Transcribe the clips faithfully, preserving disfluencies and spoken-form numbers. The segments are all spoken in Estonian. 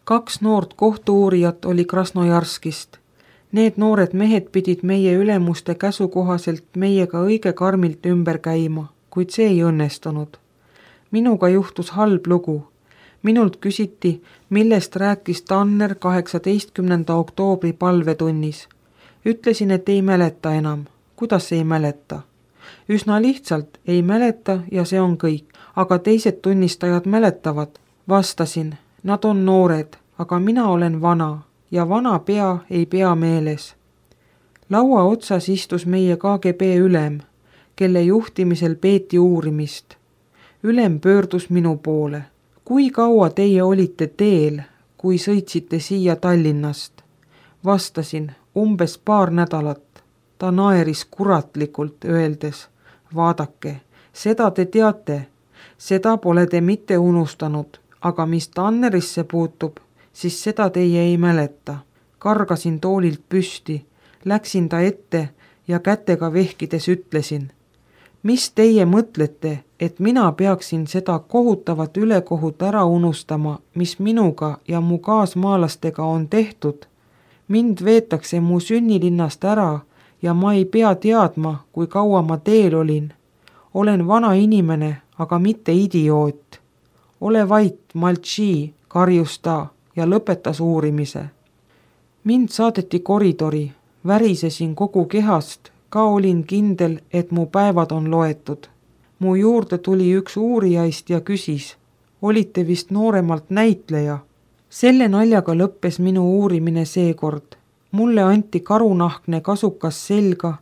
Kaks noort kohtu-uurijat oli Krasnojarskist. Need noored mehed pidid meie ülemuste käsu kohaselt meiega õige karmilt ümber käima, kuid see ei õnnestunud. Minuga juhtus halb lugu. Minult küsiti, millest rääkis Tanner kaheksateistkümnenda oktoobri palvetunnis. Ütlesin, et ei mäleta enam. Kuidas ei mäleta? Üsna lihtsalt ei mäleta ja see on kõik, aga teised tunnistajad mäletavad. Vastasin, nad on noored, aga mina olen vana ja vana pea ei pea meeles. Laua otsas istus meie K G B ülem, kelle juhtimisel peeti uurimist. Ülem pöördus minu poole. Kui kaua teie olite teel, kui sõitsite siia Tallinnast? Vastasin, umbes paar nädalat. Ta naeris kuratlikult, öeldes, vaadake, seda te teate, seda pole te mitte unustanud, aga mis Tannerisse puutub, siis seda teie ei mäleta. Kargasin toolilt püsti, läksin ta ette ja kätega vehkides ütlesin, mis teie mõtlete, et mina peaksin seda kohutavat ülekohut ära unustama, mis minuga ja mu kaasmaalastega on tehtud? Mind veetakse mu sünnilinnast ära ja ma ei pea teadma, kui kaua ma teel olin. Olen vana inimene, aga mitte idioot. Ole vait, Maltši, karjus ta ja lõpetas uurimise. Mind saadeti koridori, värisesin kogu kehast, ka olin kindel, et mu päevad on loetud. Mu juurde tuli üks uurijaist ja küsis, olite vist nooremalt näitleja. Selle naljaga lõppes minu uurimine seekord. Mulle anti karunahkne kasukas selga,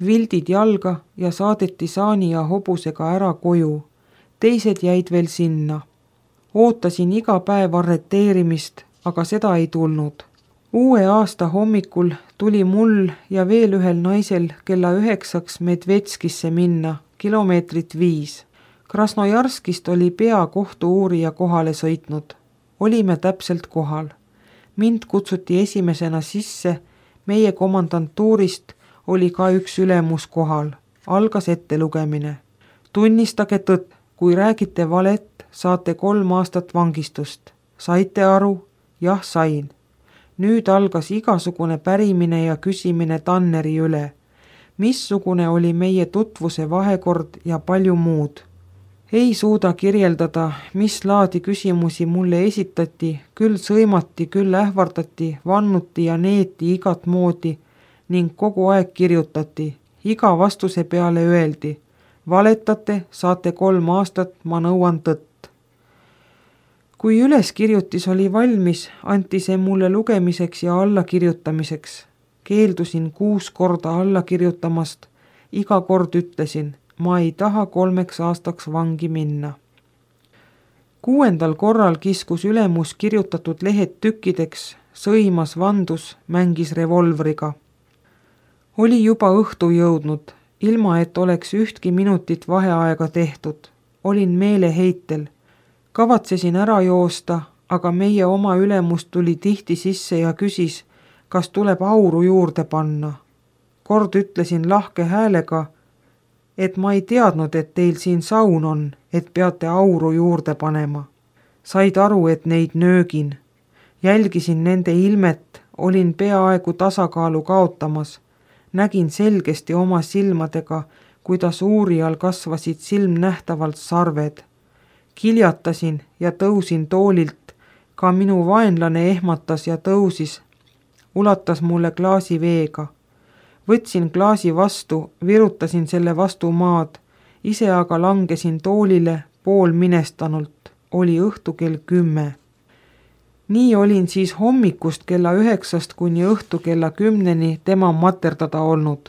vildid jalga ja saadeti saani ja hobusega ära koju. Teised jäid veel sinna. Ootasin iga päev arreteerimist, aga seda ei tulnud. Uue aasta hommikul tuli mul ja veel ühel naisel kella üheksaks Medvetskisse minna, kilomeetrit viis. Krasnojarskist oli pea kohtu-uurija kohale sõitnud. Olime täpselt kohal. Mind kutsuti esimesena sisse, meie komandantuurist oli ka üks ülemus kohal. Algas ettelugemine. Tunnistage tõtt, kui räägite valet, saate kolm aastat vangistust. Saite aru? Jah, sain. Nüüd algas igasugune pärimine ja küsimine Tanneri üle. Missugune oli meie tutvuse vahekord ja palju muud. Ei suuda kirjeldada, mis laadi küsimusi mulle esitati, küll sõimati, küll ähvardati, vannuti ja neeti igat moodi ning kogu aeg kirjutati. Iga vastuse peale öeldi, valetate, saate kolm aastat, ma nõuan tõtt. Kui üleskirjutis oli valmis, anti see mulle lugemiseks ja allakirjutamiseks. Keeldusin kuus korda allakirjutamast, iga kord ütlesin, ma ei taha kolmeks aastaks vangi minna. Kuuendal korral kiskus ülemus kirjutatud lehed tükkideks, sõimas, vandus, mängis revolvriga. Oli juba õhtu jõudnud, ilma et oleks ühtki minutit vaheaega tehtud. Olin meeleheitel. Kavatsesin ära joosta, aga meie oma ülemus tuli tihti sisse ja küsis, kas tuleb auru juurde panna. Kord ütlesin lahke häälega, et ma ei teadnud, et teil siin saun on, et peate auru juurde panema. Said aru, et neid nöögin. Jälgisin nende ilmet, olin peaaegu tasakaalu kaotamas. Nägin selgesti oma silmadega, kuidas uurijal kasvasid silmnähtavalt sarved. Kiljatasin ja tõusin toolilt, ka minu vaenlane ehmatas ja tõusis, ulatas mulle klaasi veega. Võtsin klaasi vastu, virutasin selle vastu maad, ise aga langesin toolile pool minestanult, oli õhtu kell kümme. Nii olin siis hommikust kella üheksast kuni õhtu kella kümneni tema materdada olnud.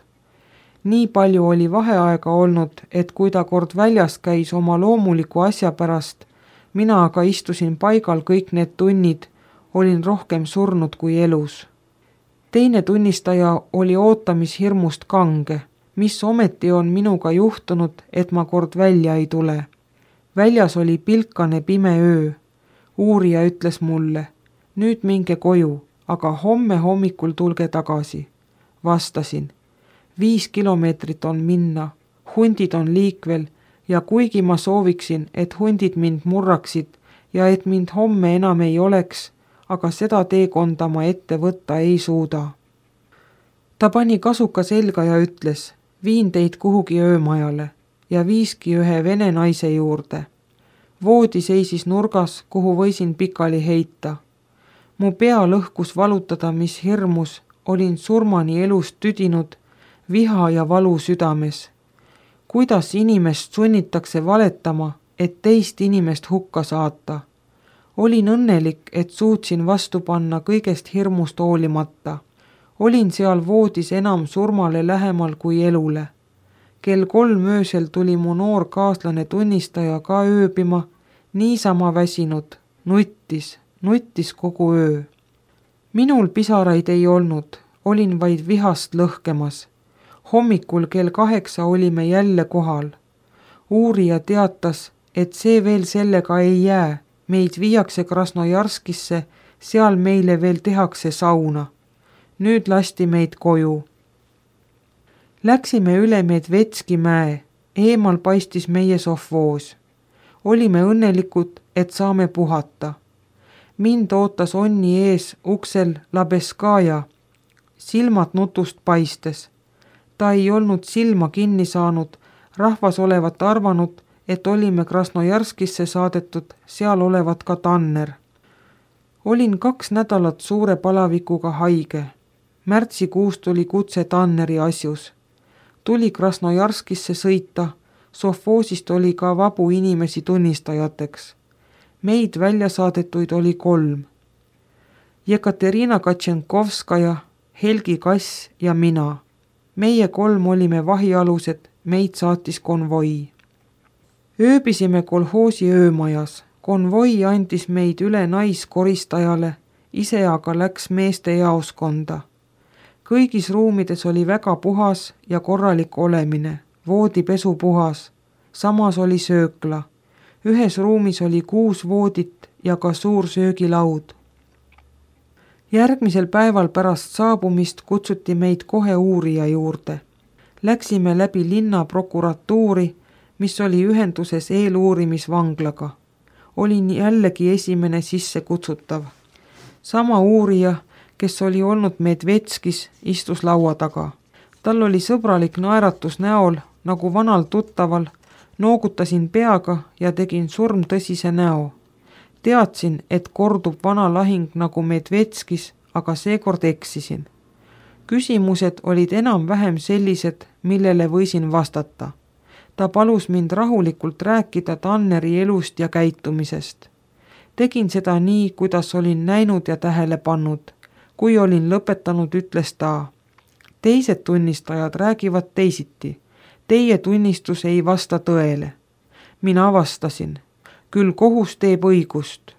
Nii palju oli vaheaega olnud, et kui ta kord väljas käis oma loomuliku asja pärast, mina aga istusin paigal kõik need tunnid, olin rohkem surnud kui elus. Teine tunnistaja oli ootamishirmust kange, mis ometi on minuga juhtunud, et ma kord välja ei tule. Väljas oli pilkane pime öö. Uurija ütles mulle, nüüd minge koju, aga homme hommikul tulge tagasi. Vastasin, viis kilomeetrit on minna, hundid on liikvel ja kuigi ma sooviksin, et hundid mind murraksid ja et mind homme enam ei oleks, aga seda teekonda ma ette võtta ei suuda. Ta pani kasuka selga ja ütles, viin teid kuhugi öömajale ja viiski ühe vene naise juurde. Voodi seisis nurgas, kuhu võisin pikali heita. Mu pea lõhkus valutada, mis hirmus, olin surmani elust tüdinud, viha ja valu südames. Kuidas inimest sunnitakse valetama, et teist inimest hukka saata? Olin õnnelik, et suutsin vastu panna kõigest hirmust hoolimata. Olin seal voodis enam surmale lähemal kui elule. Kell kolm öösel tuli mu noor kaaslane tunnistaja ka ööbima, niisama väsinud, nuttis, nuttis kogu öö. Minul pisaraid ei olnud, olin vaid vihast lõhkemas. Hommikul kell kaheksa olime jälle kohal. Uurija teatas, et see veel sellega ei jää, meid viiakse Krasnojarskisse, seal meile veel tehakse sauna. Nüüd lasti meid koju. Läksime üle Medvetski mäe, eemal paistis meie sovvoos. Olime õnnelikud, et saame puhata. Mind ootas onni ees uksel Labeskaja, silmad nutust paistes. Ta ei olnud silma kinni saanud, rahvas olevat arvanud, et olime Krasnojarskisse saadetud, seal olevat ka Tanner. Olin kaks nädalat suure palavikuga haige. Märtsikuus tuli kutse Tanneri asjus. Tuli Krasnojarskisse sõita, sovvoosist oli ka vabu inimesi tunnistajateks. Meid välja saadetuid oli kolm. Jekaterina Katšenkovskaja, Helgi Kass ja mina. Meie kolm olime vahialused, meid saatis konvoi. Ööbisime kolhoosi öömajas. Konvoi andis meid üle naiskoristajale, ise aga läks meeste jaoskonda. Kõigis ruumides oli väga puhas ja korralik olemine, voodipesu puhas. Samas oli söökla. Ühes ruumis oli kuus voodit ja ka suur söögilaud. Järgmisel päeval pärast saabumist kutsuti meid kohe uurija juurde. Läksime läbi linna prokuratuuri, mis oli ühenduses eeluurimisvanglaga. Olin jällegi esimene sisse kutsutav. Sama uurija, kes oli olnud Medvetskis, istus laua taga. Tal oli sõbralik naeratus näol, nagu vanal tuttaval, noogutasin peaga ja tegin surmtõsise näo. Teadsin, et kordub vana lahing nagu Medvetskis, aga seekord eksisin. Küsimused olid enam-vähem sellised, millele võisin vastata. Ta palus mind rahulikult rääkida Tanneri elust ja käitumisest. Tegin seda nii, kuidas olin näinud ja tähele pannud. Kui olin lõpetanud, ütles ta, teised tunnistajad räägivad teisiti. Teie tunnistus ei vasta tõele. Mina vastasin, küll kohus teeb õigust.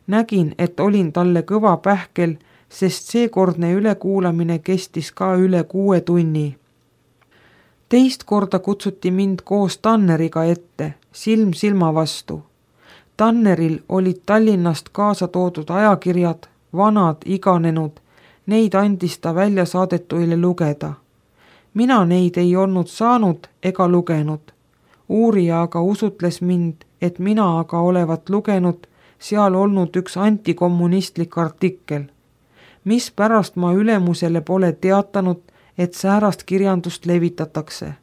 Nägin, et olin talle kõva pähkel, sest seekordne ülekuulamine kestis ka üle kuue tunni. Teist korda kutsuti mind koos Tanneriga ette, silm silma vastu. Tanneril olid Tallinnast kaasa toodud ajakirjad, vanad, iganenud, neid andis ta välja saadetuile lugeda. Mina neid ei olnud saanud ega lugenud. Uurija aga usutles mind, et mina aga olevat lugenud seal olnud üks antikommunistlik artikkel. Mis pärast ma ülemusele pole teatanud, et säärast kirjandust levitatakse.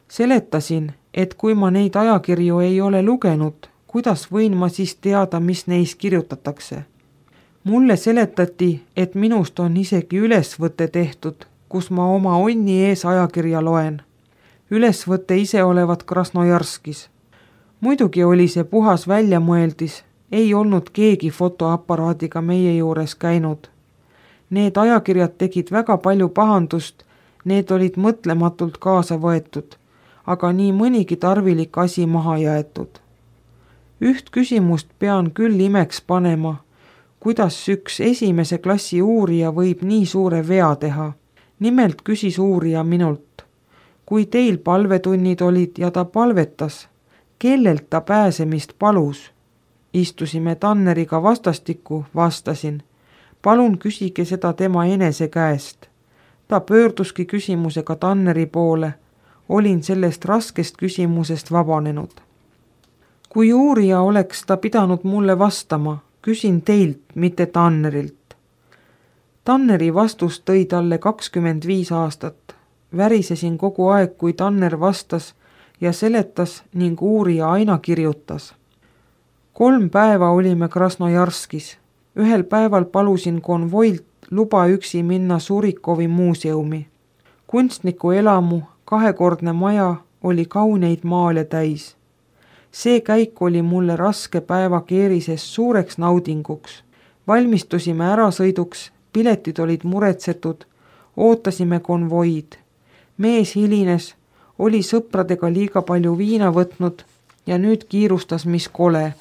Seletasin, et kui ma neid ajakirju ei ole lugenud, kuidas võin ma siis teada, mis neis kirjutatakse. Mulle seletati, et minust on isegi ülesvõte tehtud, kus ma oma onni ees ajakirja loen. Ülesvõte ise olevat Krasnojarskis. Muidugi oli see puhas väljamõeldis, ei olnud keegi fotoaparaadiga meie juures käinud. Need ajakirjad tegid väga palju pahandust, need olid mõtlematult kaasa võetud, aga nii mõnigi tarvilik asi maha jäetud. Üht küsimust pean küll imeks panema, kuidas üks esimese klassi uurija võib nii suure vea teha. Nimelt küsis uurija minult, kui teil palvetunnid olid ja ta palvetas, kellelt ta pääsemist palus? Istusime Tanneriga vastastikku, vastasin. Palun küsige seda tema enese käest. Ta pöörduski küsimusega Tanneri poole. Olin sellest raskest küsimusest vabanenud. Kui uurija oleks ta pidanud mulle vastama, küsin teilt, mitte Tannerilt. Tanneri vastus tõi talle kakskümmend viis aastat. Värisesin kogu aeg, kui Tanner vastas ja seletas ning uurija aina kirjutas. Kolm päeva olime Krasnojarskis. Ühel päeval palusin konvoilt luba üksi minna Surikovi muuseumi. Kunstniku elamu, kahekordne maja oli kauneid maale täis. See käik oli mulle raske päeva keerises suureks naudinguks. Valmistusime ärasõiduks, piletid olid muretsetud, ootasime konvoid. Mees hilines, oli sõpradega liiga palju viina võtnud ja nüüd kiirustas mis kole.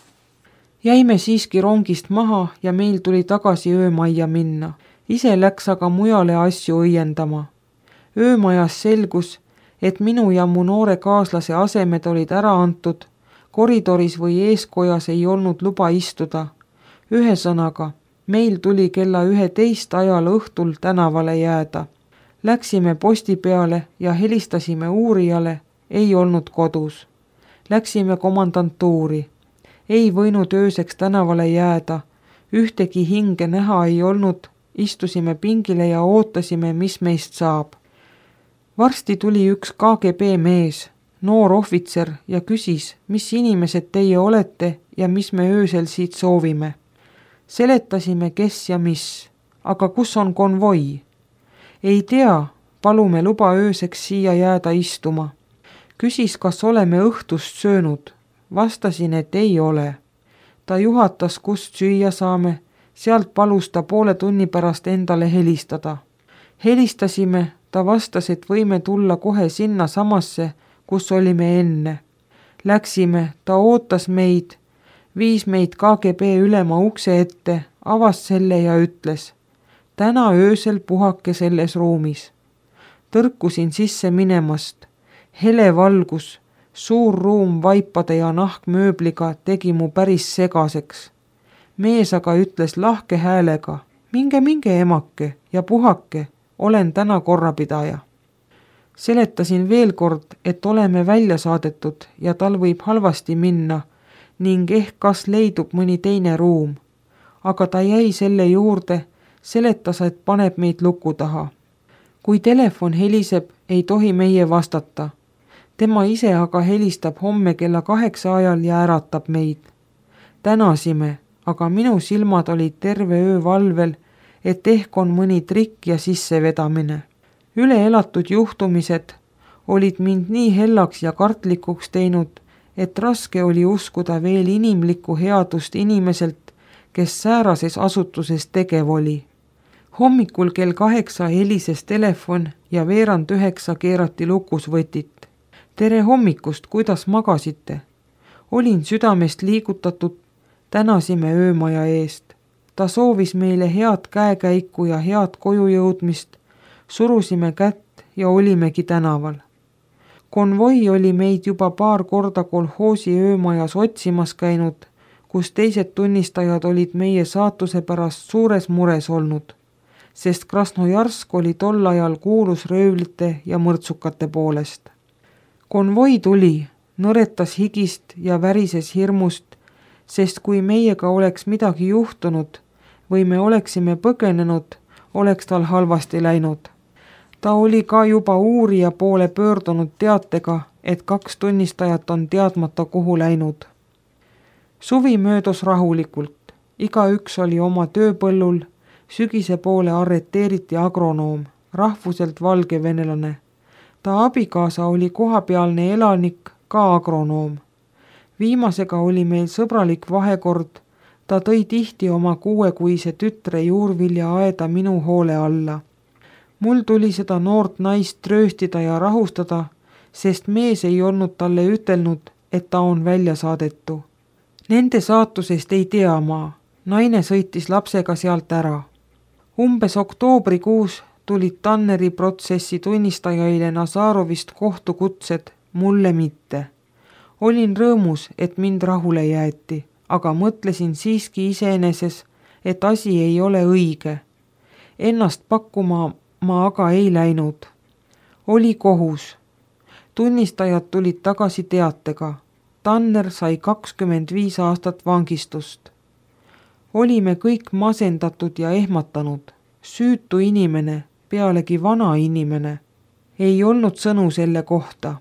Jäime siiski rongist maha ja meil tuli tagasi öömajja minna. Ise läks aga mujale asju õiendama. Öömajas selgus, et minu ja mu noore kaaslase asemed olid ära antud, koridoris või eeskojas ei olnud luba istuda. Ühesõnaga, meil tuli kella üheteist ajal õhtul tänavale jääda. Läksime posti peale ja helistasime uurijale, ei olnud kodus. Läksime komandantuuri. Ei võinud ööseks tänavale jääda, ühtegi hinge näha ei olnud, istusime pingile ja ootasime, mis meist saab. Varsti tuli üks K G B mees, noor ohvitser ja küsis, mis inimesed teie olete ja mis me öösel siit soovime. Seletasime, kes ja mis, aga kus on konvoi? Ei tea, palume luba ööseks siia jääda istuma. Küsis, kas oleme õhtust söönud. Vastasin, et ei ole. Ta juhatas, kust süüa saame, sealt palus ta poole tunni pärast endale helistada. Helistasime, ta vastas, et võime tulla kohe sinna samasse, kus olime enne. Läksime, ta ootas meid, viis meid K G B ülema ukse ette, avas selle ja ütles, täna öösel puhake selles ruumis. Tõrkusin sisse minemast, hele valgus, suur ruum vaipade ja nahkmööbliga tegi mu päris segaseks. Mees aga ütles lahke häälega, minge, minge emake ja puhake, olen täna korrapidaja. Seletasin veel kord, et oleme välja saadetud ja tal võib halvasti minna ning ehk kas leidub mõni teine ruum. Aga ta jäi selle juurde, seletas, et paneb meid luku taha. Kui telefon heliseb, ei tohi meie vastata. Tema ise aga helistab homme kella kaheksa ajal ja äratab meid. Tänasime, aga minu silmad olid terve öö valvel, et ehk on mõni trikk ja sissevedamine. Üle elatud juhtumised olid mind nii hellaks ja kartlikuks teinud, et raske oli uskuda veel inimlikku headust inimeselt, kes säärases asutuses tegev oli. Hommikul kell kaheksa helises telefon ja veerand üheksa keerati lukus võtit. Tere hommikust, kuidas magasite? Olin südamest liigutatud, tänasime öömaja eest. Ta soovis meile head käekäiku ja head koju jõudmist, surusime kätt ja olimegi tänaval. Konvoi oli meid juba paar korda kolhoosi öömajas otsimas käinud, kus teised tunnistajad olid meie saatuse pärast suures mures olnud, sest Krasnojarsk oli tol ajal kuulus röövlite ja mõrtsukate poolest. Konvoi tuli, nõretas higist ja värises hirmust, sest kui meiega oleks midagi juhtunud või me oleksime põgenenud, oleks tal halvasti läinud. Ta oli ka juba uurija poole pöördunud teatega, et kaks tunnistajat on teadmata kuhu läinud. Suvi möödus rahulikult, igaüks oli oma tööpõllul, sügise poole arreteeriti agronoom, rahvuselt valgevenelane. Ta abikaasa oli kohapealne elanik, ka agronoom. Viimasega oli meil sõbralik vahekord, ta tõi tihti oma kuuekuise tütre juurvilja aeda minu hoole alla. Mul tuli seda noort naist trööstida ja rahustada, sest mees ei olnud talle ütelnud, et ta on välja saadetu. Nende saatusest ei tea ma, naine sõitis lapsega sealt ära. Umbes oktoobrikuus tulid Tanneri protsessi tunnistajaile Nazarovist kohtukutsed, mulle mitte. Olin rõõmus, et mind rahule jäeti, aga mõtlesin siiski iseeneses, et asi ei ole õige. Ennast pakkuma ma aga ei läinud. Oli kohus. Tunnistajad tulid tagasi teatega. Tanner sai kakskümmend viis aastat vangistust. olime kõik masendatud ja ehmatanud. Süütu inimene, pealegi vana inimene. Ei olnud sõnu selle kohta.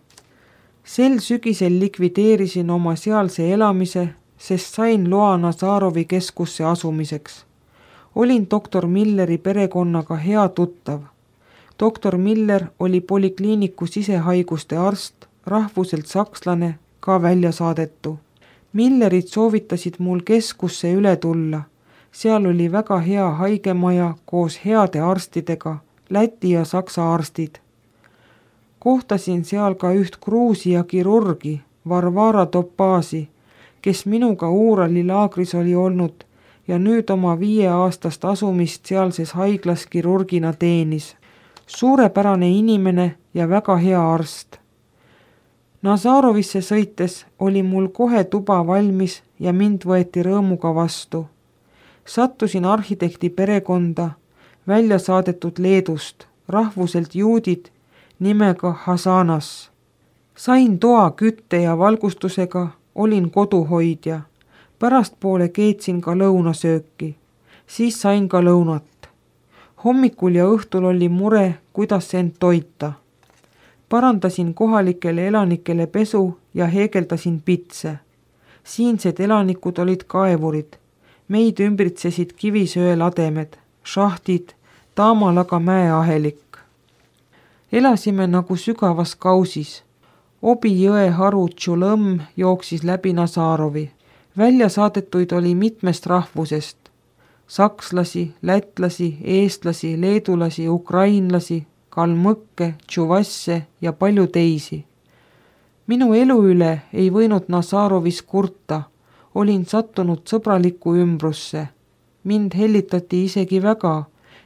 Sel sügisel likvideerisin oma sealse elamise, sest sain loa Nazarovi keskusse asumiseks. Olin doktor Milleri perekonnaga hea tuttav. doktor Miller oli polikliiniku sisehaiguste arst, rahvuselt sakslane, ka välja saadetu. Millerid soovitasid mul keskusse üle tulla. Seal oli väga hea haigemaja koos heade arstidega, Läti ja Saksa arstid. Kohtasin seal ka üht Gruusia kirurgi, Varvara Topasi, kes minuga Uurali laagris oli olnud ja nüüd oma viieaastast asumist sealses haiglas kirurgina teenis. Suurepärane inimene ja väga hea arst. Nazarovisse sõites oli mul kohe tuba valmis ja mind võeti rõõmuga vastu. Sattusin arhitekti perekonda, välja saadetud Leedust, rahvuselt juudid, nimega Hasanas. Sain toa kütte ja valgustusega, olin koduhoidja. Pärastpoole keetsin ka lõunasööki. Siis sain ka lõunat. Hommikul ja õhtul oli mure, kuidas end toita. Parandasin kohalikele elanikele pesu ja heegeldasin pitse. Siinsed elanikud olid kaevurid. Meid ümbritsesid kivisöelademed, šahtid, Taamalaga mäeahelik. Elasime nagu sügavas kausis. Obi jõe haru Tšulõmm jooksis läbi Nazarovi. Välja saadetuid oli mitmest rahvusest. Sakslasi, lätlasi, eestlasi, leedulasi, ukrainlasi, kalmõkke, tšuvasse ja palju teisi. Minu elu üle ei võinud Nazarovis kurta. Olin sattunud sõbralikku ümbrusse. Mind hellitati isegi väga,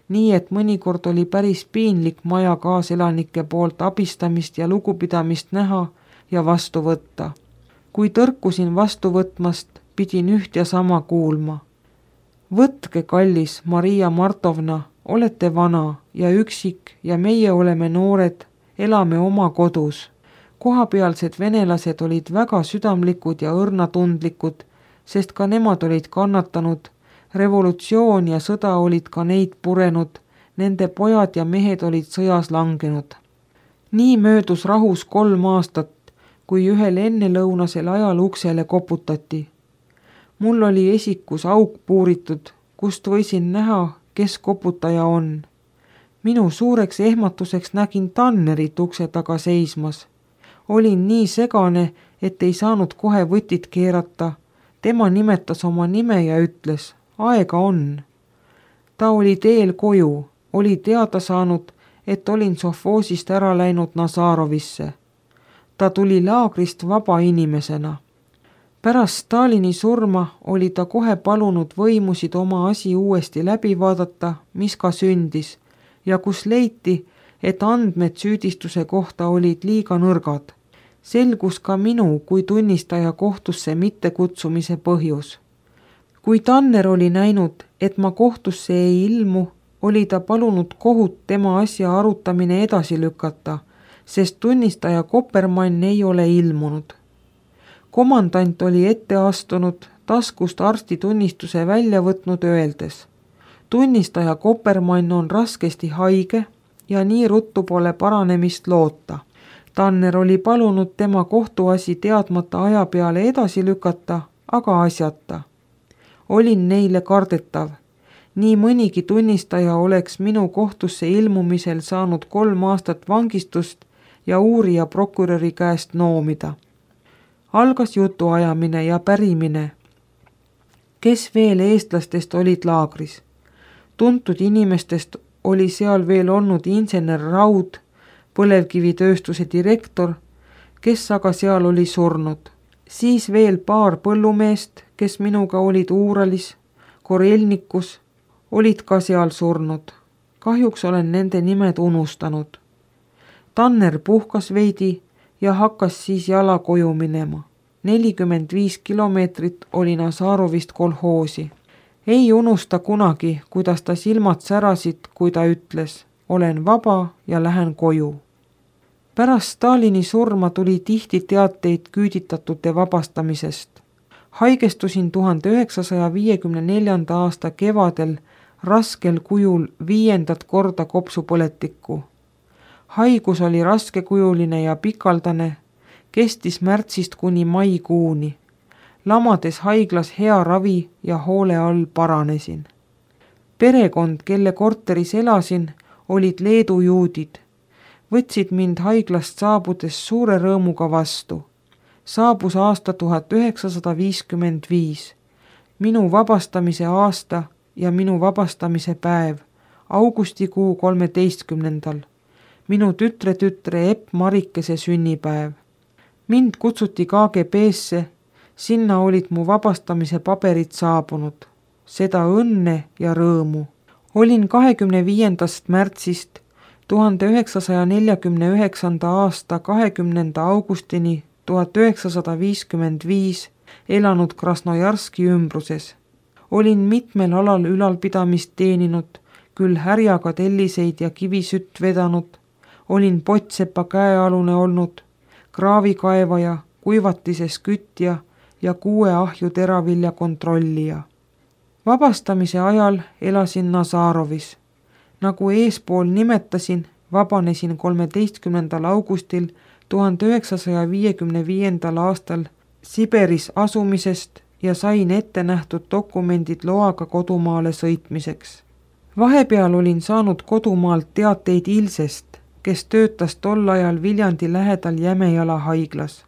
nii et mõnikord oli päris piinlik maja kaaselanike poolt abistamist ja lugupidamist näha ja vastu võtta. Kui tõrkusin vastu võtmast, pidin üht ja sama kuulma. Võtke, kallis Maria Martovna, olete vana ja üksik ja meie oleme noored, elame oma kodus. Kohapealsed venelased olid väga südamlikud ja õrnatundlikud, sest ka nemad olid kannatanud. Revolutsioon ja sõda olid ka neid purenud, nende pojad ja mehed olid sõjas langenud. Nii möödus rahus kolm aastat, kui ühel ennelõunasel ajal uksele koputati. Mul oli esikus auk puuritud, kust võisin näha, kes koputaja on. Minu suureks ehmatuseks nägin Tannerit ukse taga seismas. Olin nii segane, et ei saanud kohe võtit keerata. Tema nimetas oma nime ja ütles, aega on. Ta oli teel koju, oli teada saanud, et olin Sofoosist ära läinud Nazarovisse. Ta tuli laagrist vaba inimesena. Pärast Stalini surma oli ta kohe palunud võimusid oma asi uuesti läbi vaadata, mis ka sündis, ja kus leiti, et andmed süüdistuse kohta olid liiga nõrgad. Selgus ka minu kui tunnistaja kohtusse mittekutsumise põhjus. Kui Tanner oli näinud, et ma kohtusse ei ilmu, oli ta palunud kohut tema asja arutamine edasi lükata, sest tunnistaja Kopermann ei ole ilmunud. Komandant oli ette astunud, taskust arsti tunnistuse välja võtnud öeldes. Tunnistaja Kopermann on raskesti haige ja nii ruttu pole paranemist loota. Tanner oli palunud tema kohtuasi teadmata aja peale edasi lükata, aga asjata. Olin neile kardetav. Nii mõnigi tunnistaja oleks minu kohtusse ilmumisel saanud kolm aastat vangistust ja uurija prokuröri käest noomida. Algas jutuajamine ja pärimine. Kes veel eestlastest olid laagris? Tuntud inimestest oli seal veel olnud insener Raud, põlevkivitööstuse direktor, kes aga seal oli surnud. Siis veel paar põllumeest, kes minuga olid Uuralis, Korelnikus, olid ka seal surnud. Kahjuks olen nende nimed unustanud. Tanner puhkas veidi ja hakkas siis jala koju minema. nelikümmend viis kilomeetrit oli Nazarovist kolhoosi. Ei unusta kunagi, kuidas ta silmad särasid, kui ta ütles, olen vaba ja lähen koju. Pärast Stalini surma tuli tihti teateid küüditatute vabastamisest. haigestusin tuhande üheksasaja viiekümne neljanda aasta kevadel raskel kujul viiendat korda kopsupõletikku. Haigus oli raskekujuline ja pikaldane, kestis märtsist kuni maikuuni. Lamades haiglas hea ravi ja hoole all paranesin. Perekond, kelle korteris elasin, olid Leedu juudid. Võtsid mind haiglast saabudes suure rõõmuga vastu. Saabus aasta tuhat üheksasada viiskümmend viis. Minu vabastamise aasta ja minu vabastamise päev, augustikuu kolmeteistkümnendal. Minu tütre tütre Epp Marikese sünnipäev. Mind kutsuti K G B-sse, sinna olid mu vabastamise paberid saabunud. Seda õnne ja rõõmu. Olin kahekümne viiendast märtsist tuhande üheksasaja neljakümne üheksanda aasta kahekümnenda augustini tuhat üheksasada viiskümmend viis elanud Krasnojarski ümbruses. Olin mitmel alal ülalpidamist teeninud, küll härjaga telliseid ja kivisütt vedanud, olin Potsepa käealune olnud, kraavikaevaja, kuivatises kütja ja kuue ahju teravilja kontrollija. Vabastamise ajal elasin Nazarovis. Nagu eespool nimetasin, vabanesin kolmeteistkümnendal augustil tuhande üheksasaja viiekümne viiendal aastal Siberis asumisest ja sain ette nähtud dokumendid loaga kodumaale sõitmiseks. Vahepeal olin saanud kodumaalt teateid Ilsest, kes töötas tol ajal Viljandi lähedal Jämejala haiglas.